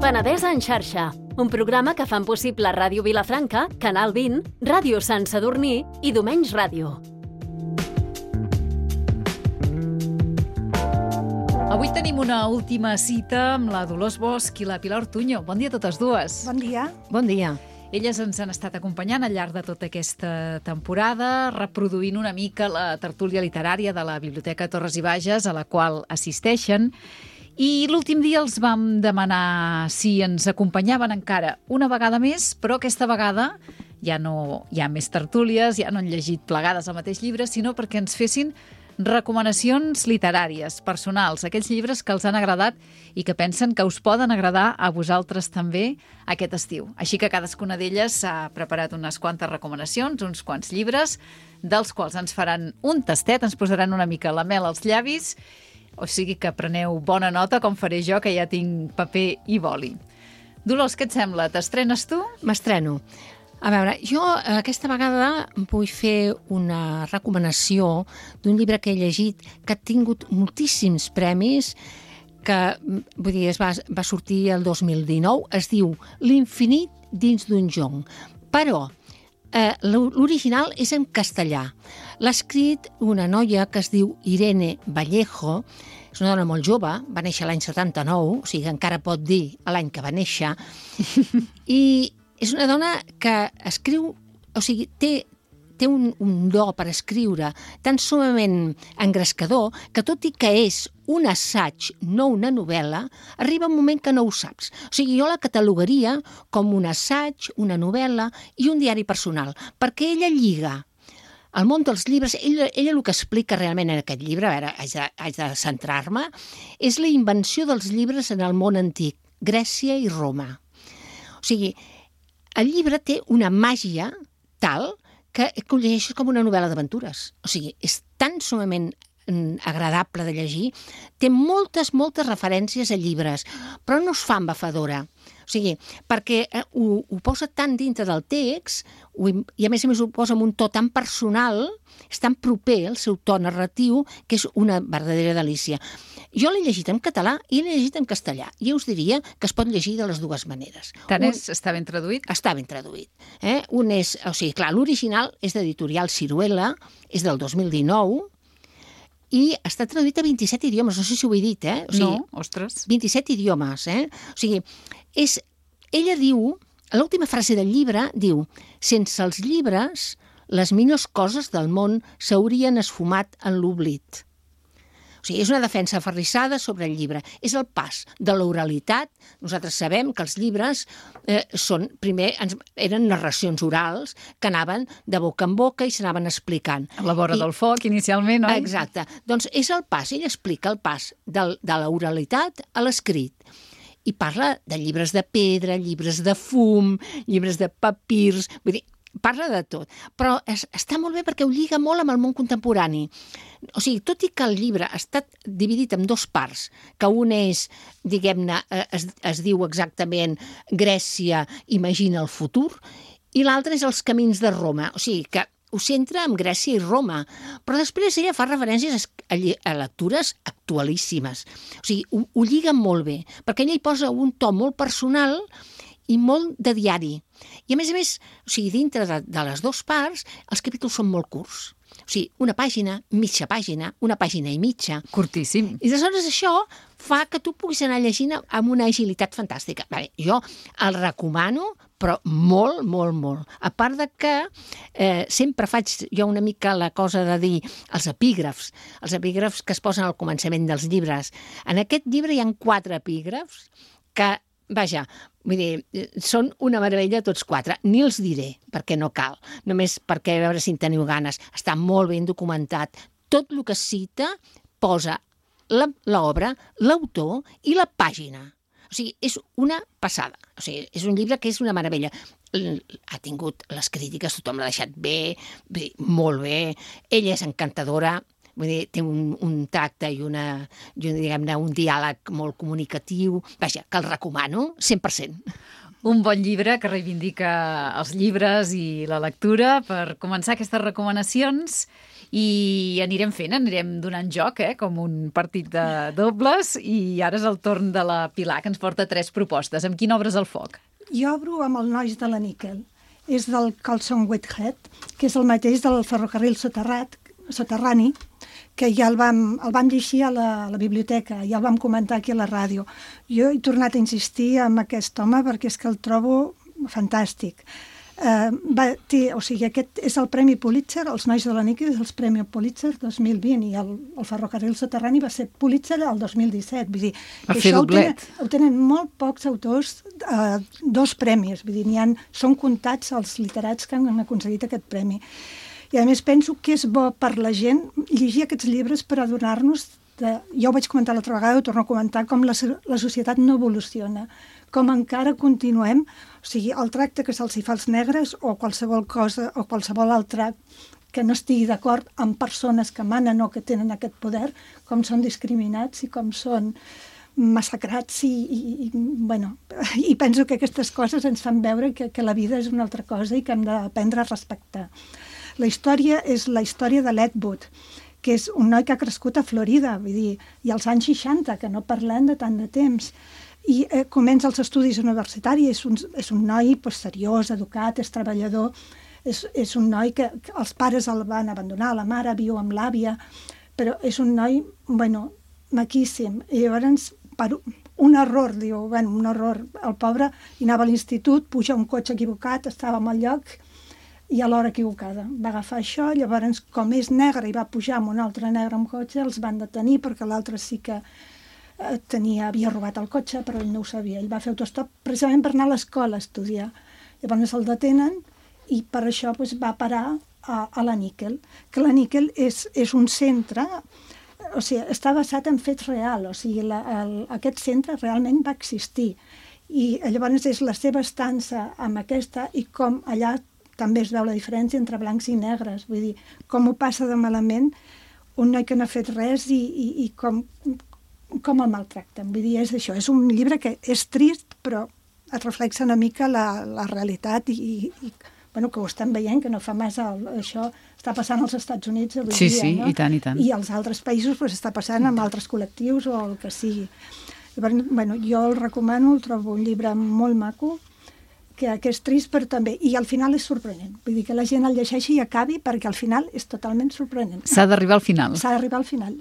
Penedès en xarxa, un programa que fan possible Ràdio Vilafranca, Canal 20, Ràdio Sant Sadurní i Domenys Ràdio. Avui tenim una última cita amb la Dolors Bosch i la Pilar Ortuño. Bon dia a totes dues. Bon dia. Bon dia. Elles ens han estat acompanyant al llarg de tota aquesta temporada, reproduint una mica la tertúlia literària de la Biblioteca Torres i Bages, a la qual assisteixen. I l'últim dia els vam demanar si ens acompanyaven encara una vegada més, però aquesta vegada ja no hi ha més tertúlies, ja no han llegit plegades el mateix llibre, sinó perquè ens fessin recomanacions literàries, personals, aquells llibres que els han agradat i que pensen que us poden agradar a vosaltres també aquest estiu. Així que cadascuna d'elles s'ha preparat unes quantes recomanacions, uns quants llibres, dels quals ens faran un tastet, ens posaran una mica la mel als llavis, o sigui que preneu bona nota, com faré jo, que ja tinc paper i boli. Dolors, què et sembla? T'estrenes tu? M'estreno. A veure, jo aquesta vegada vull fer una recomanació d'un llibre que he llegit que ha tingut moltíssims premis, que vull dir, va sortir el 2019, es diu L'infinit dins d'un jonc. Però l'original és en castellà. L'ha escrit una noia que es diu Irene Vallejo, és una dona molt jove, va néixer l'any 79, o sigui que encara pot dir l'any que va néixer, i és una dona que escriu, o sigui, té un do per escriure tan summament engrescador que tot i que és un assaig, no una novel·la, arriba un moment que no ho saps. O sigui, jo la catalogaria com un assaig, una novel·la i un diari personal, perquè ella lliga el món dels llibres. Ella el que explica realment en aquest llibre, a veure, haig de centrar-me, és la invenció dels llibres en el món antic, Grècia i Roma. O sigui, el llibre té una màgia tal que ho llegeixes com una novel·la d'aventures. O sigui, és tan summament agradable de llegir, té moltes referències a llibres, però no es fa embafadora. O sigui, perquè ho posa tan dintre del text i a més ho posa amb un to tan personal, és tan proper al seu to narratiu, que és una verdadera delícia. Jo l'he llegit en català i l'he llegit en castellà, i us diria que es pot llegir de les dues maneres. Està ben traduït? Està ben traduït. Un és, o sigui, clar, l'original és d'editorial Ciruela, és del 2019, i està traduït a 27 idiomes, no sé si ho he dit, O sigui, no, ostres. 27 idiomes, O sigui, ella diu, l'última frase del llibre diu: sense els llibres, les millors coses del món s'haurien esfumat en l'oblit. O sigui, és una defensa aferrissada sobre el llibre. És el pas de l'oralitat. Nosaltres sabem que els llibres primer eren narracions orals que anaven de boca en boca i s'anaven explicant. A la vora del foc, inicialment, oi? Exacte. Doncs és el pas, ella explica el pas de l'oralitat a l'escrit. I parla de llibres de pedra, llibres de fum, llibres de papirs, vull dir, parla de tot, però està molt bé perquè ho lliga molt amb el món contemporani. O sigui, tot i que el llibre ha estat dividit en dues parts, que un és, diguem-ne, es diu exactament Grècia imagina el futur, i l'altre és els camins de Roma. O sigui, que ho centra en Grècia i Roma, però després ella fa referències a lectures actualíssimes. O sigui, ho lliga molt bé, perquè ella hi posa un to molt personal i molt de diari. I a més, o sigui, dintre de les dues parts, els capítols són molt curts. O sigui, una pàgina, mitja pàgina, una pàgina i mitja. Curtíssim. I aleshores això fa que tu puguis anar llegint amb una agilitat fantàstica. Bé, jo el recomano, però molt, molt, molt. A part de que sempre faig jo una mica la cosa de dir els epígrafs que es posen al començament dels llibres. En aquest llibre hi ha 4 epígrafs que, vaja, vull dir, són una meravella tots 4. Ni els diré, perquè no cal, només perquè a veure si en teniu ganes. Està molt ben documentat. Tot el que cita posa l'obra, l'autor i la pàgina. O sigui, és una passada. O sigui, és un llibre que és una meravella. Ha tingut les crítiques, tothom l'ha deixat bé, molt bé. Ella és encantadora, vull dir, té un tracte i diguem-ne, un diàleg molt comunicatiu. Vaja, que el recomano 100%. Un bon llibre que reivindica els llibres i la lectura per començar aquestes recomanacions i anirem donant joc, com un partit de dobles, i ara és el torn de la Pilar, que ens porta 3 propostes. Amb quina obres el foc? Jo obro amb el Nois de la Níquel. És del Colson Whitehead, que és el mateix del ferrocarril soterrani, que ja el vam llegir a la biblioteca, ja el vam comentar aquí a la ràdio. Jo he tornat a insistir en aquest home perquè és que el trobo fantàstic. Aquest és el Premi Pulitzer, els Nois de la Níquel és el Premi Pulitzer 2020 i el ferrocarril soterrani va ser Pulitzer el 2017. Vull dir, això ho tenen molt pocs autors, 2 premis, vull dir, són comptats els literats que han aconseguit aquest premi. I a més penso que és bo per la gent llegir aquests llibres per adonar-nos ja ho vaig comentar l'altra vegada, ho torno a comentar, com la societat no evoluciona, com encara continuem, o sigui, el tracte que se'ls fa als negres o qualsevol cosa o qualsevol altre que no estigui d'acord amb persones que manen o que tenen aquest poder, com són discriminats i com són massacrats i penso que aquestes coses ens fan veure que la vida és una altra cosa i que hem d'aprendre a respectar. La història és la història de l'Ed Wood, que és un noi que ha crescut a Florida, vull dir, i als anys 60, que no parlem de tant de temps, i comença els estudis universitaris, és un noi seriós, educat, és treballador, és un noi que els pares el van abandonar, la mare viu amb l'àvia, però és un noi, maquíssim. I llavors, per un error, un error, el pobre hi anava a l'institut, puja un cotxe equivocat, estava en el lloc, i a l'hora equivocada. Va agafar això, llavors, com és negre i va pujar amb un altre negre amb cotxe, els van detenir perquè l'altre sí que havia robat el cotxe, però ell no ho sabia. Ell va fer autostop precisament per anar a l'escola a estudiar. Llavors el detenen i per això va parar a la Níquel, que la Níquel és un centre, o sigui, està basat en fets reals, o sigui, aquest centre realment va existir. I llavors és la seva estança amb aquesta i com allà també es veu la diferència entre blancs i negres. Vull dir, com ho passa de malament un noi que no ha fet res i com el maltracten. Vull dir, és això. És un llibre que és trist, però et reflexa una mica la realitat i que ho estem veient, que no fa massa això està passant als Estats Units avui dia. Sí, no? I tant, i tant. I als altres països està passant amb altres col·lectius o el que sigui. Llavors, jo el recomano, el trobo un llibre molt maco, que és trist, però també... I al final és sorprenent. Vull dir que la gent el llegeixi i acabi perquè al final és totalment sorprenent. S'ha d'arribar al final. S'ha d'arribar al final.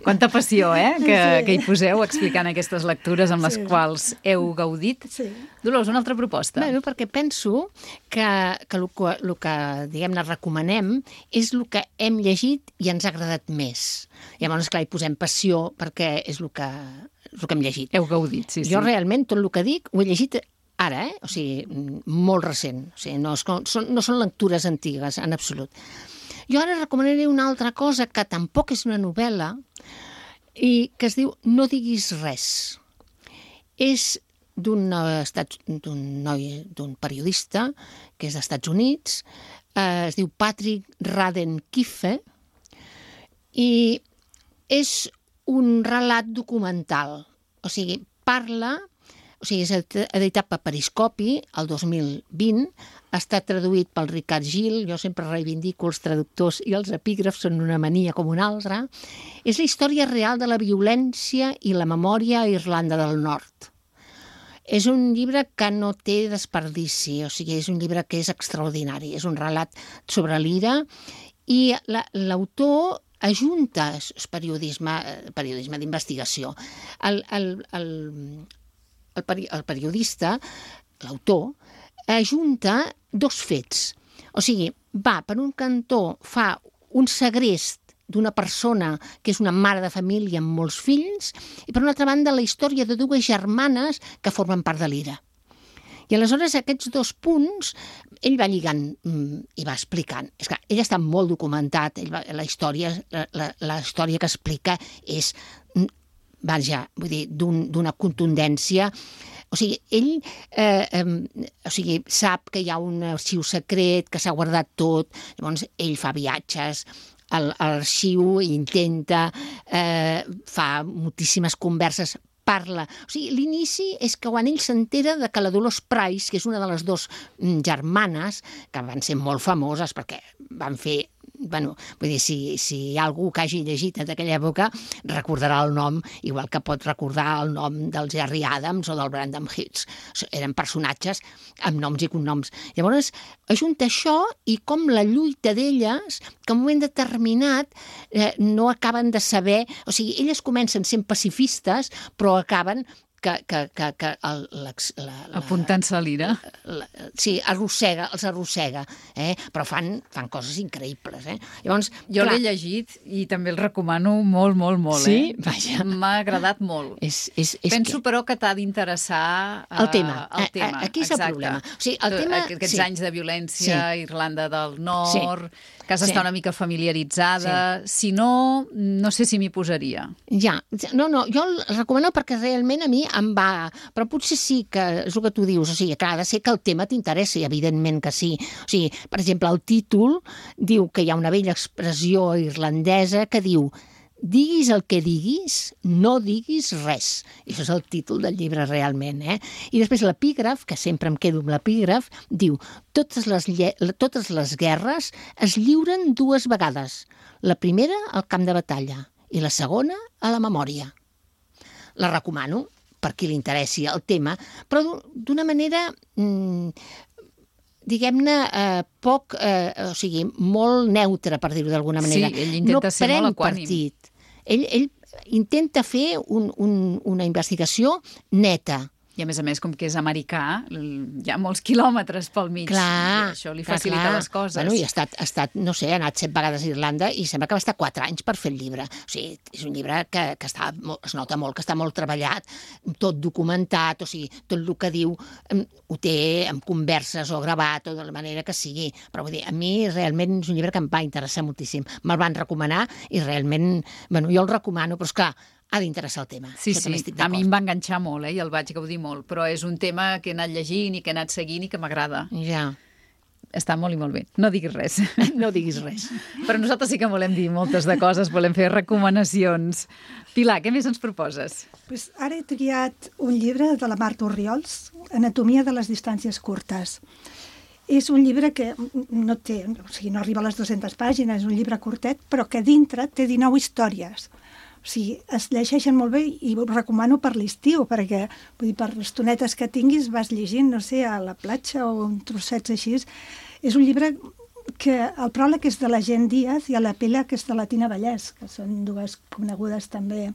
Quanta passió, que hi poseu explicant aquestes lectures amb les quals heu gaudit. Sí. Dolors, una altra proposta. Bé, perquè penso que el que diguem-ne, recomanem és el que hem llegit i ens ha agradat més. Llavors, clar, hi posem passió perquè és el que hem llegit. Heu gaudit, sí. Jo realment tot el que dic ho he llegit ara, o sigui, molt recent. O sigui, no són lectures antigues, en absolut. Jo ara recomanaré una altra cosa que tampoc és una novel·la i que es diu No diguis res. És d'un periodista que és dels Estats Units, es diu Patrick Radden Keefe i és un relat documental. O sigui, és editat per Periscopi el 2020, ha estat traduït pel Ricard Gil, jo sempre reivindico els traductors i els epígrafs, són una mania com una altra. És la història real de la violència i la memòria a Irlanda del Nord. És un llibre que no té desperdici, o sigui, és un llibre que és extraordinari, és un relat sobre l'ira i l'autor ajunta, és periodisme d'investigació. El periodista, l'autor, ajunta 2 fets. O sigui, va per un cantó, fa un segrest d'una persona que és una mare de família amb molts fills i per una altra banda la història de 2 germanes que formen part de l'IRA. I aleshores aquests 2 punts ell va lligant i va explicant. És que ell està molt documentat, la història que explica és vull dir, d'una contundència. O sigui, ell sap que hi ha un arxiu secret, que s'ha guardat tot, llavors ell fa viatges a l'arxiu i intenta, fa moltíssimes converses parla. O sigui, l'inici és que quan ell s'entera de que la Dolors Price, que és una de les dues germanes, que van ser molt famoses perquè van fer... Bueno, vull dir, si hi ha algú que hagi llegit d'aquella època, recordarà el nom, igual que pot recordar el nom del Gerry Adams o del Brandon Hicks. Eren personatges amb noms i cognoms. Llavors, ajunta això i com la lluita d'elles, que en un moment determinat no acaben de saber... O sigui, elles comencen sent pacifistes, però acaben... apuntant-se a l'ira. Sí, els arrossega, però fan coses increïbles. Llavors, jo l'he llegit i també el recomano molt, molt, molt. Sí? Vaja. M'ha agradat molt. Penso, però, que t'ha d'interessar el tema. Aquí és el problema. O sigui, el tema... Aquests anys de violència, Irlanda del Nord... Casa està una mica familiaritzada. Si no, no sé si m'hi posaria. Ja, no, jo el recomano perquè realment a mi em va... Però potser sí que és el que tu dius, o sigui, clar, ha de ser que el tema t'interessi, evidentment que sí. O sigui, per exemple, el títol diu que hi ha una vella expressió irlandesa que diu diguis el que diguis, no diguis res. I això és el títol del llibre realment. I després l'epígraf, que sempre em quedo amb l'epígraf, diu totes les guerres es lliuren 2 vegades. La primera al camp de batalla i la segona a la memòria. La recomano per qui li interessi el tema, però d'una manera... diguem-ne, poc, o sigui, molt neutre, per dir-ho d'alguna manera. Sí, ell intenta ser molt equànim. Partit. Ell intenta fer una investigació neta. I a més, com que és americà, hi ha molts quilòmetres pel mig. Clar, i això li facilita les coses. Bueno, i ha estat, no sé, ha anat 7 vegades a Irlanda i sembla que va estar 4 anys per fer el llibre. O sigui, és un llibre que es nota molt, que està molt treballat, tot documentat, o sigui, tot el que diu ho té en converses o gravat o de la manera que sigui. Però vull dir, a mi realment és un llibre que em va interessar moltíssim. Me'l van recomanar i realment, bueno, jo el recomano, però esclar, ha d'interessar el tema. Sí, a mi em va enganxar molt, i el vaig gaudir molt, però és un tema que he anat llegint i que he anat seguint i que m'agrada. Ja. Està molt i molt bé. No diguis res. No diguis res. Però nosaltres sí que volem dir moltes de coses, volem fer recomanacions. Pilar, què més ens proposes? Pues ara he triat un llibre de la Marta Orriols, Anatomia de les distàncies curtes. És un llibre que no arriba a les 200 pàgines, és un llibre curtet, però que dintre té 19 històries. O sigui, es llegeixen molt bé i ho recomano per l'estiu, perquè vull dir, per estonetes que tinguis vas llegint, no sé, a la platja o un trossets així. És un llibre que el pròleg és de la Gent Díaz i l'epíleg és de la Tina Vallès, que són 2 conegudes també.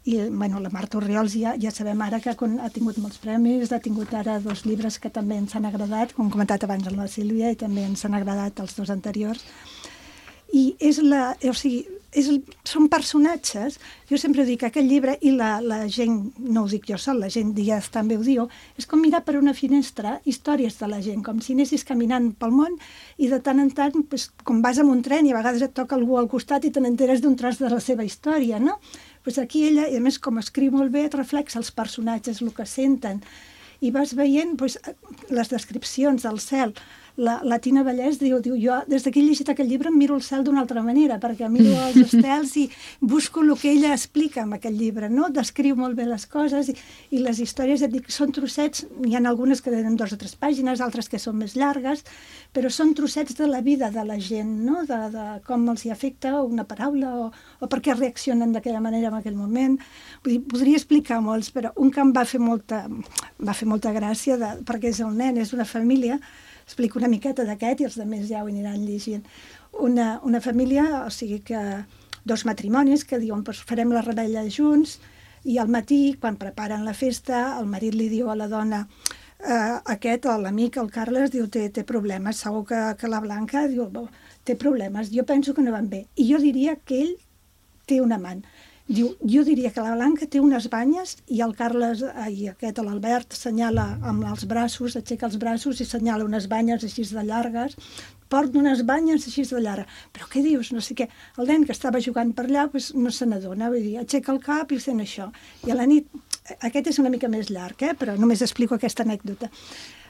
I bueno, la Marta Orriols ja sabem ara que ha tingut molts premis, ha tingut ara 2 llibres que també ens han agradat, com hem comentat abans amb la Sílvia, i també ens han agradat els 2 anteriors. I són personatges, jo sempre dic que aquest llibre, i la gent, no ho dic jo sol, la Gent Díaz també ho diu, és com mirar per una finestra històries de la gent, com si anessis caminant pel món i de tant en tant, com vas amb un tren i a vegades et toca algú al costat i te n'enteres d'un tros de la seva història, no? Aquí ella, i a més com escriu molt bé, et reflexa els personatges, el que senten, i vas veient les descripcions del cel. La Tina Vallès diu, jo des que he llegit aquest llibre em miro el cel d'una altra manera, perquè miro els estels i busco el que ella explica en aquest llibre, no? Descriu molt bé les coses i les històries, et dic, són trossets, hi ha algunes que tenen 2 o 3 pàgines, altres que són més llargues, però són trossets de la vida de la gent, no? De com els hi afecta una paraula o per què reaccionen d'aquella manera en aquell moment. Vull dir, podria explicar molts, però un que em va fer molta gràcia, perquè és el nen, és una família. Explico una miqueta d'aquest i els altres ja ho aniran llegint. Una família, o sigui que 2 matrimonis que diuen farem la revetlla junts i al matí, quan preparen la festa, el marit li diu a la dona l'amic, el Carles, diu té problemes, segur que la Blanca diu té problemes, jo penso que no van bé. I jo diria que ell té un amant. Diu, jo diria que la Blanca té unes banyes i el Carles, l'Albert, assenyala amb els braços, aixeca els braços i assenyala unes banyes així de llargues. Porta unes banyes així de llargues. Però què dius? No sé què. El nen que estava jugant per allà no se n'adona, vull dir, aixeca el cap i fent això. I a la nit, aquest és una mica més llarg, però només explico aquesta anècdota.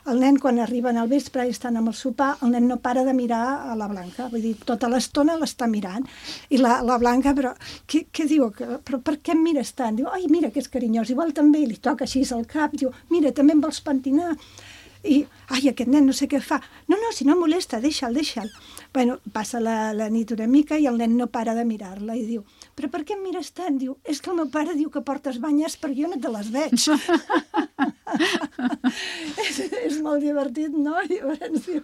el nen, quan arriben al vespre i estan amb el sopar, el nen no para de mirar a la Blanca, vull dir, tota l'estona l'està mirant. I la Blanca, però, què diu? Però per què em mires tant? Diu, ai, mira que és carinyós, igual també, i li toca així al cap, diu, mira, també em vols pentinar? I, ai, aquest nen no sé què fa. No, si no molesta, deixa'l. Bueno, passa la nit una mica i el nen no para de mirar-la i diu, però per què em mires tant? Diu, és que el meu pare diu que portes banyes perquè jo no te les veig. és molt divertit, no? Llavors, diu,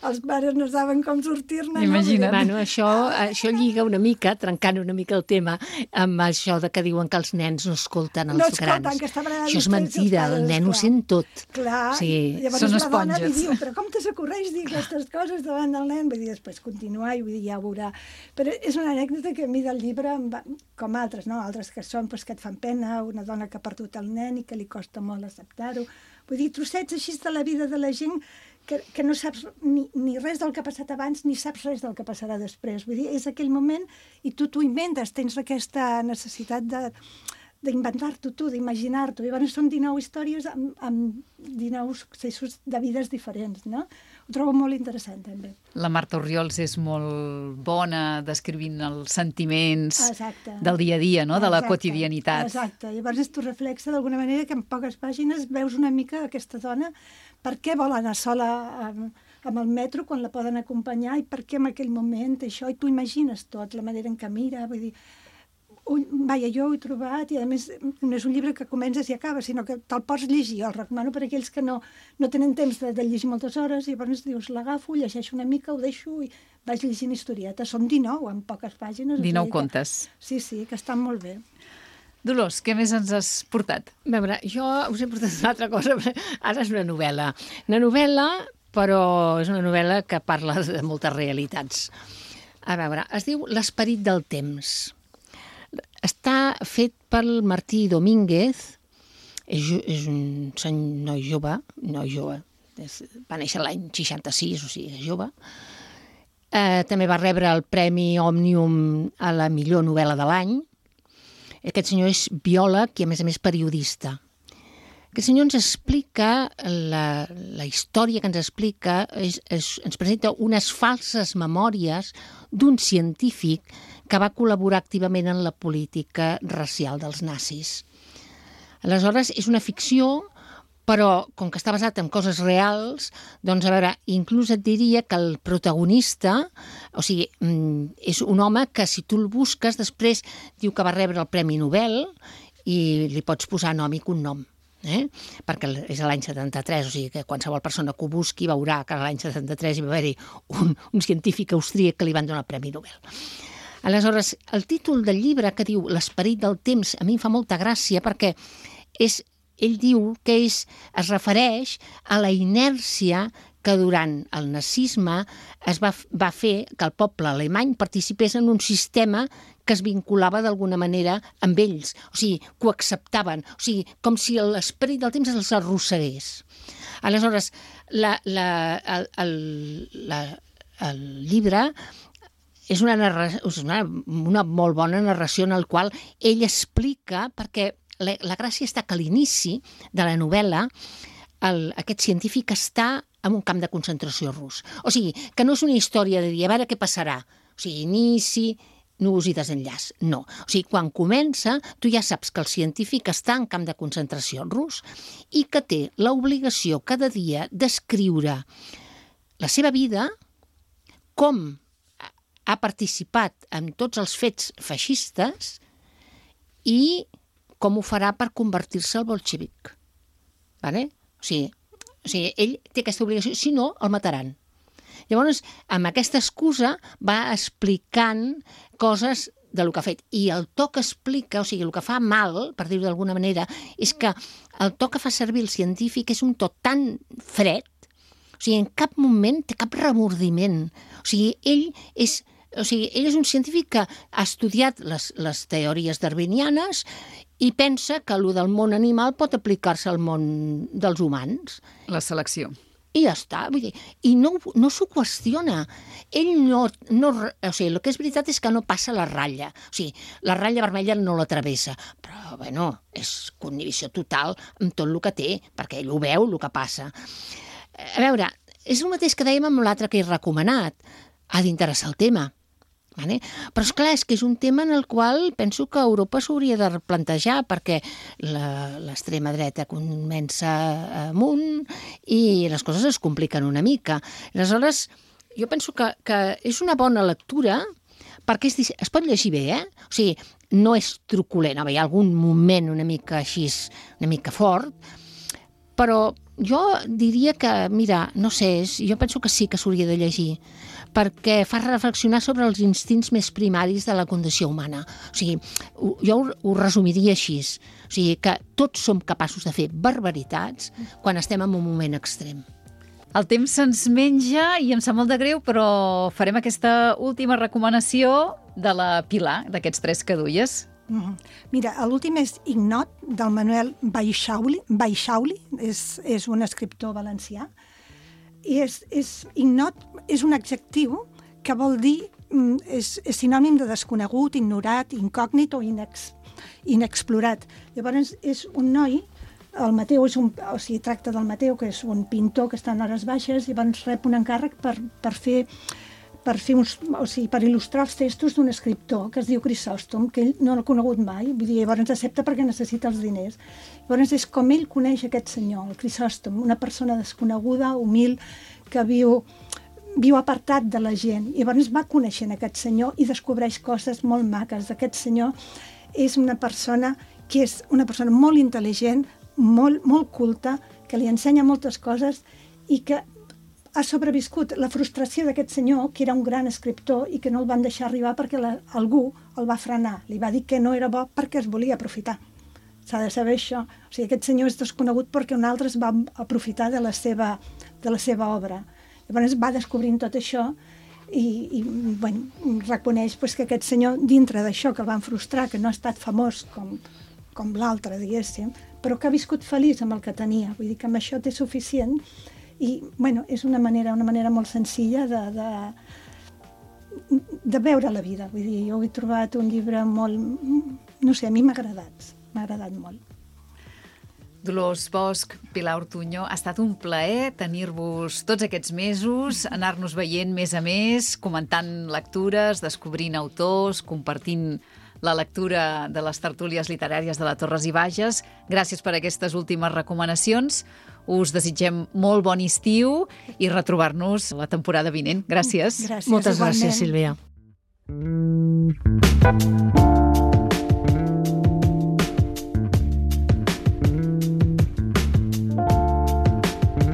els pares no saben com sortir-ne. Imagina't. Bueno, això lliga una mica, trencant una mica el tema, amb això de que diuen que els nens no escolten els grans. Que estaven això és mentida, el nen ho sent tot. Clar, sí. Llavors són la dona li esponges. diu, però com te s'acorreix dir aquestes coses davant del nen? Vull dir, després continuar i vull dir, ja ho veurà. Però és una anècdota que a mi del llibre, com altres, no? Altres que són que et fan pena, una dona que ha perdut el nen i que li costa molt acceptar-ho. Vull dir, trossets així de la vida de la gent que no saps ni res del que ha passat abans ni saps res del que passarà després. Vull dir, és aquell moment i tu t'ho inventes, tens aquesta necessitat d'inventar-t'ho tu, d'imaginar-t'ho. Llavors són 19 històries amb 19 successos de vides diferents, no? Ho trobo molt interessant, també. La Marta Orriols és molt bona descrivint els sentiments del dia a dia, no? De la quotidianitat. Exacte. Llavors t'ho reflexa d'alguna manera que en poques pàgines veus una mica aquesta dona, per què vol anar sola amb el metro quan la poden acompanyar i per què en aquell moment això, i tu imagines tot, la manera en què mira, vull dir, jo ho he trobat i a més no és un llibre que comences i acabes, sinó que te'l pots llegir. El recomano per a aquells que no tenen temps de llegir moltes hores i llavors dius, l'agafo, llegeixo una mica, ho deixo i vaig llegint historietes. Són 19 en poques pàgines. 19 contes. Sí, que estan molt bé. Dolors, què més ens has portat? A veure, jo us he portat una altra cosa. Ara és una novel·la. Una novel·la, però és una novel·la que parla de moltes realitats. A veure, es diu L'esperit del temps. Està fet pel Martí Domínguez, és un noi jove, va néixer l'any 66, o sigui, és jove. També va rebre el Premi Òmnium a la millor novel·la de l'any. Aquest senyor és biòleg i, a més, periodista. Aquest senyor ens explica, la història que ens explica, ens presenta unes falses memòries d'un científic que va col·laborar activament en la política racial dels nazis. Aleshores, és una ficció, però com que està basat en coses reals, doncs, a veure, inclús et diria que el protagonista, o sigui, és un home que si tu el busques, després diu que va rebre el Premi Nobel i li pots posar nom i cognom. Perquè és l'any 73, o sigui que qualsevol persona que ho busqui veurà que l'any 73 hi va haver-hi un científic austríac que li van donar el Premi Nobel. Aleshores, el títol del llibre que diu L'esperit del temps a mi em fa molta gràcia perquè ell diu que es refereix a la inèrcia que durant el nazisme es va fer que el poble alemany participés en un sistema que es vinculava d'alguna manera amb ells, o sigui, que ho acceptaven, o sigui, com si l'esperit del temps els arrossegués. Aleshores, el llibre és una molt bona narració en la qual ell explica, perquè la gràcia està que a l'inici de la novel·la aquest científic està en un camp de concentració rus. O sigui, que no és una història de dir, a veure què passarà. O sigui, inici, núvols i desenllaç. No. O sigui, quan comença, tu ja saps que el científic està en camp de concentració rus i que té l'obligació cada dia d'escriure la seva vida, com ha participat en tots els fets feixistes i com ho farà per convertir-se al bolxevic. Vale? O sigui, ell té aquesta obligació, si no, el mataran. Llavors, amb aquesta excusa va explicant coses del que ha fet. I el to que explica, o sigui, el que fa mal, per dir-ho d'alguna manera, és que el to que fa servir el científic és un to tan fred, o sigui, en cap moment té cap remordiment. O sigui, ell és un científic que ha estudiat les teories darwinianes i pensa que el del món animal pot aplicar-se al món dels humans. La selecció. I ja està, vull dir, i no s'ho qüestiona. Ell o sigui, el que és veritat és que no passa la ratlla. O sigui, la ratlla vermella no la travessa, però, bueno, és connivisió total amb tot el que té, perquè ell ho veu, el que passa. A veure, és el mateix que dèiem amb l'altre que he recomanat. Ha d'interessar el tema. Vale? Però esclar, és que és un tema en el qual penso que Europa s'hauria de replantejar, perquè l'extrema dreta comença amunt i les coses es compliquen una mica. Aleshores, jo penso que és una bona lectura perquè es pot llegir bé, O sigui, no és truculent, hi ha algun moment una mica així, una mica fort, però jo diria que, mira, no sé, jo penso que sí que s'hauria de llegir, perquè fa reflexionar sobre els instints més primaris de la condició humana. O sigui, jo ho resumiria així. O sigui, que tots som capaços de fer barbaritats quan estem en un moment extrem. El temps se'ns menja i em sap molt de greu, però farem aquesta última recomanació de la Pilar, d'aquests 3 que duies. Mira, l'últim és Ignot, del Manuel Baixauli, és un escriptor valencià. I Ignot és un adjectiu que vol dir, és sinònim de desconegut, ignorat, incògnit o inexplorat. Llavors és un noi, el Mateu, tracta del Mateu, que és un pintor que està en hores baixes, i llavors rep un encàrrec per il·lustrar els textos d'un escriptor que es diu Crisòstom, que ell no l'ha conegut mai, vull dir, llavors accepta perquè necessita els diners. Llavors és com ell coneix aquest senyor, el Crisòstom, una persona desconeguda, humil, que viu apartat de la gent. I llavors va coneixent aquest senyor i descobreix coses molt maques. Aquest senyor és una persona que és una persona molt intel·ligent, molt culta, que li ensenya moltes coses i que ha sobreviscut la frustració d'aquest senyor, que era un gran escriptor i que no el van deixar arribar perquè algú el va frenar. Li va dir que no era bo perquè es volia aprofitar. S'ha de saber això. O sigui, aquest senyor és desconegut perquè un altre es va aprofitar de la seva obra. Llavors va descobrint tot això i reconeix que aquest senyor, dintre d'això que el van frustrar, que no ha estat famós com l'altre, diguéssim, però que ha viscut feliç amb el que tenia. Vull dir que amb això té suficient. I, és una manera molt senzilla de veure la vida. Vull dir, jo he trobat un llibre molt... No sé, a mi m'ha agradat molt. Dolors Bosch, Pilar Ortuño, ha estat un plaer tenir-vos tots aquests mesos, anar-nos veient més a més, comentant lectures, descobrint autors, compartint la lectura de les tertúlies literàries de la Torres i Bages. Gràcies per aquestes últimes recomanacions. Us desitgem molt bon estiu i retrobar-nos la temporada vinent. Gràcies. Moltes gràcies, Sílvia.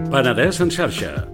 Penedès en xarxa.